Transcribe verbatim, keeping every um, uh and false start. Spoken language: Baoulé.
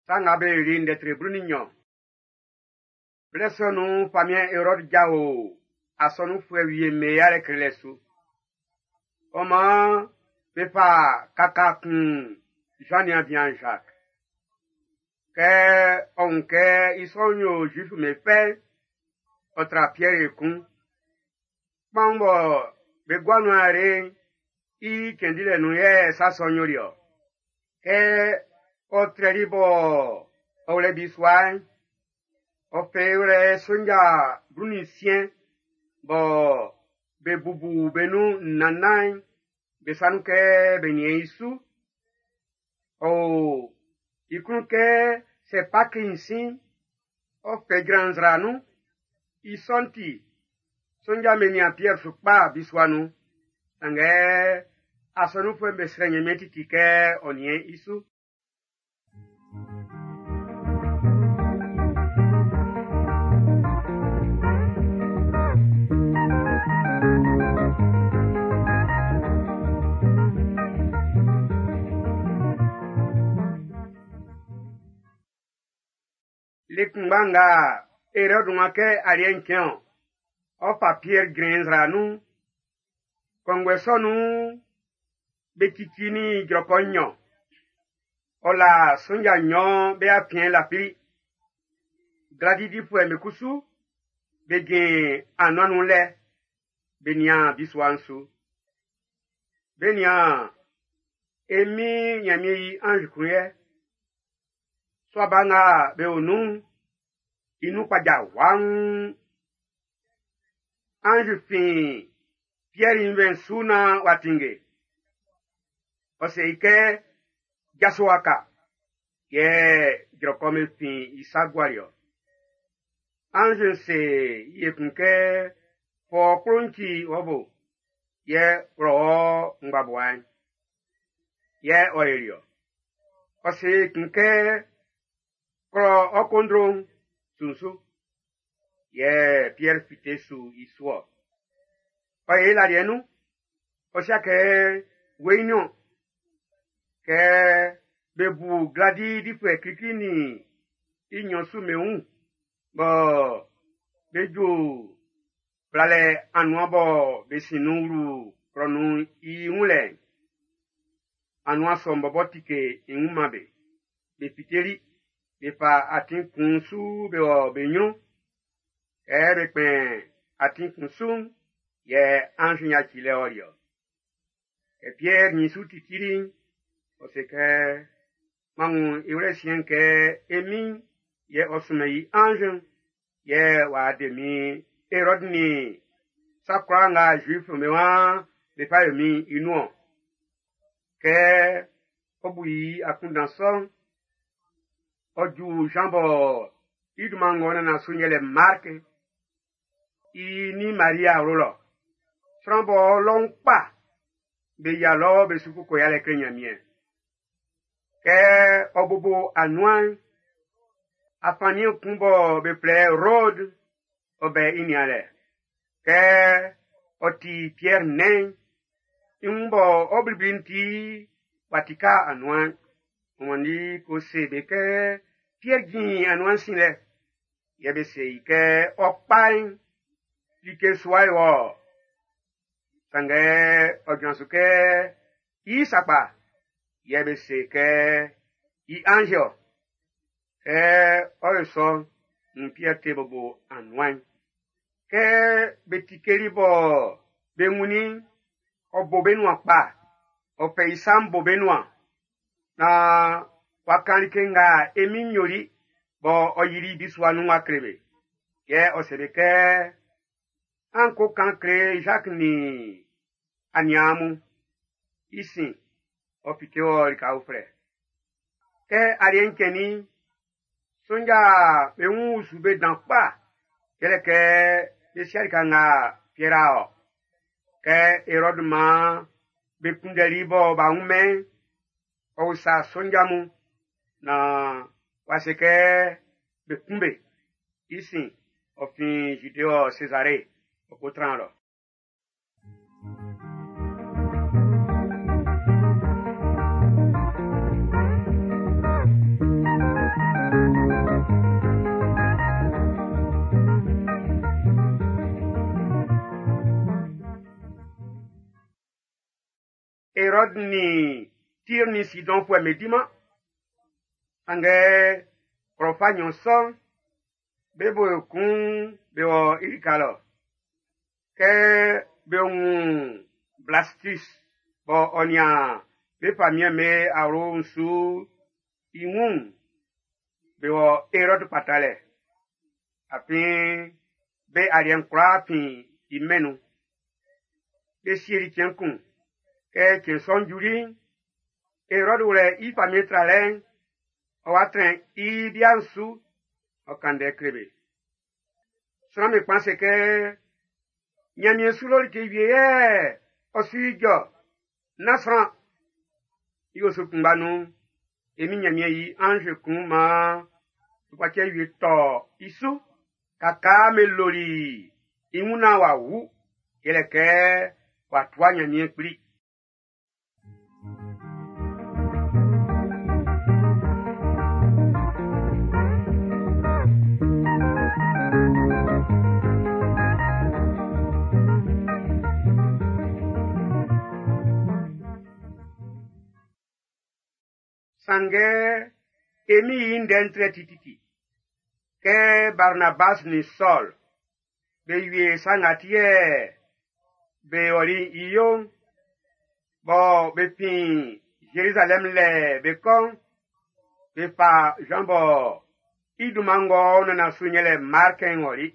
Sa nga be yoli ndɛ tre blu nin nnyɔn. Blɛ sɔ nun'n, famiɛn Erɔdu jao asɔnunfuɛ wie'm be yalɛ klelɛ su. Ɔ maan be fa kaka kun Jean nin bian Jacques. Kɛ ɔ wun kɛ i sɔ'n yo Zuifu'm be fɛ'n, ɔ tra Piɛr ekun. Kpaun bɔ be gua nun are'n, i cɛn dilɛ nun yɛ sa sɔ'n yoli ɔ. Kɛ ɔ trɛli bɔ ɔ wlɛ bisua'n, ɔ fɛ i wlɛ sonja blu nin nsiɛn bɔ be bubu be nun nnan-nnan'n be sa nun kɛ be niɛn i su. Ɔ o i klun kɛ sɛ Paki'n sin, ɔ fɛ jran nzra nun. I sɔ'n ti, sonja'm be nian Piɛr su kpa bisua nun. Sanngɛ asɔnunfuɛ'm be srɛ Ɲanmiɛn titi kɛ ɔ niɛn i su. Le kunngba nga Erɔdu wá kɛ aliɛ'n cɛn ɔ, ɔ fa Piɛr jrɛn nzra nun. Kɔnguɛ sɔ nun'n, be cici ni jrɔkɔ nnyɔn. Ɔ la sonja nnyɔn be afiɛn lafili. Gladi difuɛ'm be kusu, be jin anuan nun lɛ, be nian bisua'n su. Be nian e Min Nyanmiɛn i anz kun yɛ. Sua ba nga be o nun'n, i nun kpaja waun. Anz fin Piɛr i nvɛn'n su naan w'a tinnge. Ɔ se i kɛ, jaso waka, yɛ jrɔkɔ'n be fin i sa guali ɔ. Anz'n se i ekun kɛ, fɔ kplo'n ci wɔ bo, yɛ wlɔ wɔ ngbabua'n. Yɛ ɔ yoli ɔ. Ɔ se ekun kɛ, klɔ ɔ kondro'n sunsu. Yɛ Piɛr fite su i su ɔ. Ɔ ye laliɛ nun, ɔ sia kɛ weiin ɔ. Kɛ be bu gladi difuɛ klikli nin i nnyɔn su be wun, bɔ be ju blalɛ anuan bɔ be sin nun wlu klɔ nun'n i wun lɛ'n, anuan sɔ'n bɔbɔ tike i wun man be. Be fiteli, be fa atin kun su be wɔ be nyrun. Kɛ be kpɛn atin kun su'n, yɛ anz'n yaci lɛ ɔli ɔ. Kɛ Piɛr nyin su titili'n, ɔ se kɛ, m'an wun i wlɛ siɛn'n kɛ e Min'n yɛ ɔ sunmɛn i anz'n, yɛ w'a de min Erɔd nin sa kwlaa nga Zuif'm be waan be fa yo min i nun ɔ. Kɛ ɔ bu i akunndan sɔ'n, ɔ ju Jean bɔ i dunman ng'ɔ nana su'n yɛlɛ Mark, i nin Maria awlo lɔ. Sran bɔ lɔun kpa, be yia lɔ be su koko yalɛ kle Nyanmiɛn. Kɛ ɔ bobo anuan'n, afanniɛn kun bɔ be flɛ Rode, ɔ bɛ i nianlɛ. Kɛ ɔ ti Piɛr nɛn'n, i wun bɔ ɔ blibli'n ti w'a tika anuan'n. Ɔ wanndi ko se be kɛ Piɛr jin anuan'n sin lɛ. Yɛ be se i kɛ ɔ kpa'n, like sua ye wɔ. Sanngɛ ɔ jran su kɛ i sakpa, yɛ be se kɛ i anz ɔ. Kɛ ɔ yo sɔ'n, nn Piɛr te bobo anuan'n. Kɛ be tikeli bɔ be wunnin, ɔ bo be nuan kpa. Ɔ fɛ i sa'n bo be nuan. Naan w'a kan like nga e Min'n yoli bɔ ɔ yili bisua nun w'a kle be. Yɛ ɔ se be kɛ, an ko kan kle Jacques nin aniaan mun. I sin, ɔ fite wɔ lika uflɛ. Kɛ aliɛ'n cɛnnin'n, sonja be wun usu be dan kpa, yɛlɛ kɛ be sia lika nga Piɛr a ɔ. Kɛ Erɔdu maan be kunndɛli bɔ b'a wun-mɛn, ɔ usa sonja mun naan w'a se kɛ be kun be. I sin, ɔ fin Zude wɔ Sezare, ɔ ko tran lɔ. Erɔdu nin Tir nin Sidɔnfuɛ'm be diman. Sanngɛ klɔ fa nɲɔn sɔ'n, be bo kun be wɔ i lika lɔ. Kɛ be wun Blastus bɔ ɔ nian be famiɛn'm be awlo'n su i wun'n, be wɔ Erɔdu kpatalɛ. Afin be aliɛ'n kwlaa fin i mɛn'n nun. Be sieli cɛn kun. Kɛ cɛn sɔ'n juli'n, Erɔdu wlɛ i famiɛn tralɛ'n, ɔ wa trɛn i bia'n su, ɔ kan ndɛ kle be. Sran'm be kpan se kɛ, Ɲanmiɛn su lɔ like wie yɛ ɔ su ijɔ, nán sran. I osu kunngba nun'n, e min Ɲanmiɛn yi anzi kun maan tukpacɛ wie tɔ i su. Kakaa me loli i wun naan w'a wu, yɛlɛ kɛ w'a tua Ɲanmiɛn kpli. Sanngɛ e mi i ndɛ'n trɛ tititi. Kɛ Barnabas nin Sɔl be wie sa nga ti yɛ be ɔli i yo'n, bɔ be fin Zerizalɛm lɛ be kɔ'n, be fa Jean bɔ i dunman ng'ɔ nana su yɛlɛ Mark'n ɔli.